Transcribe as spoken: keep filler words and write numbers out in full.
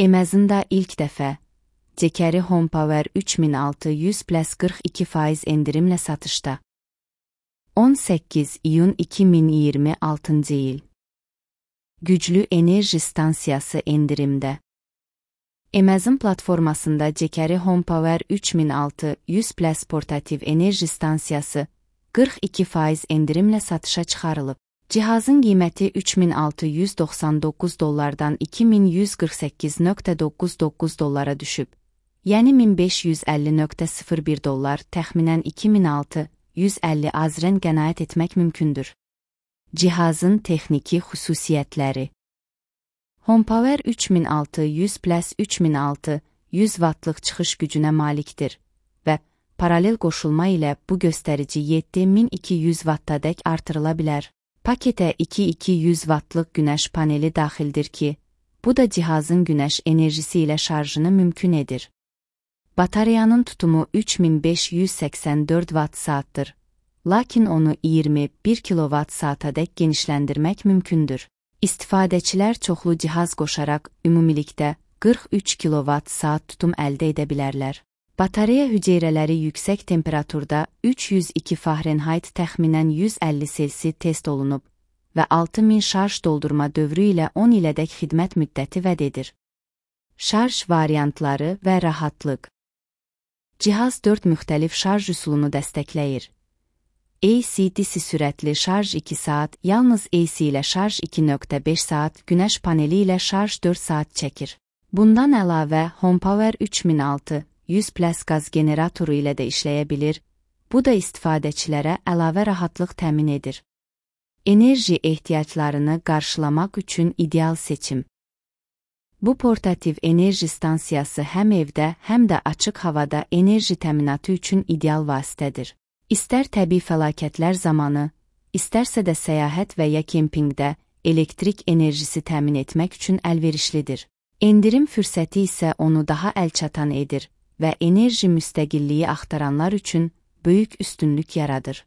Amazon'da ilk dəfə Jekeri HomePower üç min altı yüz plus qırx iki faiz endirimlə satışda. on səkkiz iyun iki min iyirmi altıncı il. Güclü enerji stansiyası endirimdə. Amazon platformasında Jekeri HomePower üç min altı yüz plus portativ enerji stansiyası qırx iki faiz endirimlə satışa çıxarılıb. Cihazın qiyməti üç min altı yüz doxsan doqquz dollardan iki min yüz qırx səkkiz nöqtə doqquz doqquz dollara düşüb. Yəni min beş yüz əlli nöqtə sıfır bir dollar, təxminən iki min altı yüz əlli azrən qənaət etmək mümkündür. Cihazın texniki xüsusiyyətləri. HomePower üç min altı yüz plus üç min altı yüz wattlıq çıxış gücünə malikdir və paralel qoşulma ilə bu göstərici yeddi min iki yüz wattadək artırıla bilər. Paketə iki min iki yüz wattlıq günəş paneli daxildir ki, bu da cihazın günəş enerjisi ilə şarjını mümkün edir. Batareyanın tutumu üç min beş yüz səksən dörd watt saatdır, lakin onu iyirmi bir kilovat saatadək genişləndirmək mümkündür. İstifadəçilər çoxlu cihaz qoşaraq ümumilikdə qırx üç kilovat saat tutum əldə edə bilərlər. Batareya hüceyrələri yüksək temperaturda üç yüz iki Fahrenheit təxminən yüz əlli Selsi test olunub və altı min şarj doldurma dövrü ilə on ilədək xidmət müddəti vəd edir. Şarj variantları və rahatlıq. Cihaz dörd müxtəlif şarj üsulunu dəstəkləyir. A C D C sürətli şarj iki saat, yalnız A C ilə şarj iki nöqtə beş saat, günəş paneli ilə şarj dörd saat çəkir. Bundan əlavə HomePower üç min altı yüz plus qaz generatoru ilə də işləyə bilir, bu da istifadəçilərə əlavə rahatlıq təmin edir. Enerji ehtiyaclarını qarşılamaq üçün ideal seçim. Bu portativ enerji stansiyası həm evdə, həm də açıq havada enerji təminatı üçün ideal vasitədir. İstər təbii fəlakətlər zamanı, istərsə də səyahət və ya kempingdə elektrik enerjisi təmin etmək üçün əlverişlidir. Endirim fürsəti isə onu daha əlçatan edir və enerji müstəqilliyi axtaranlar üçün böyük üstünlük yaradır.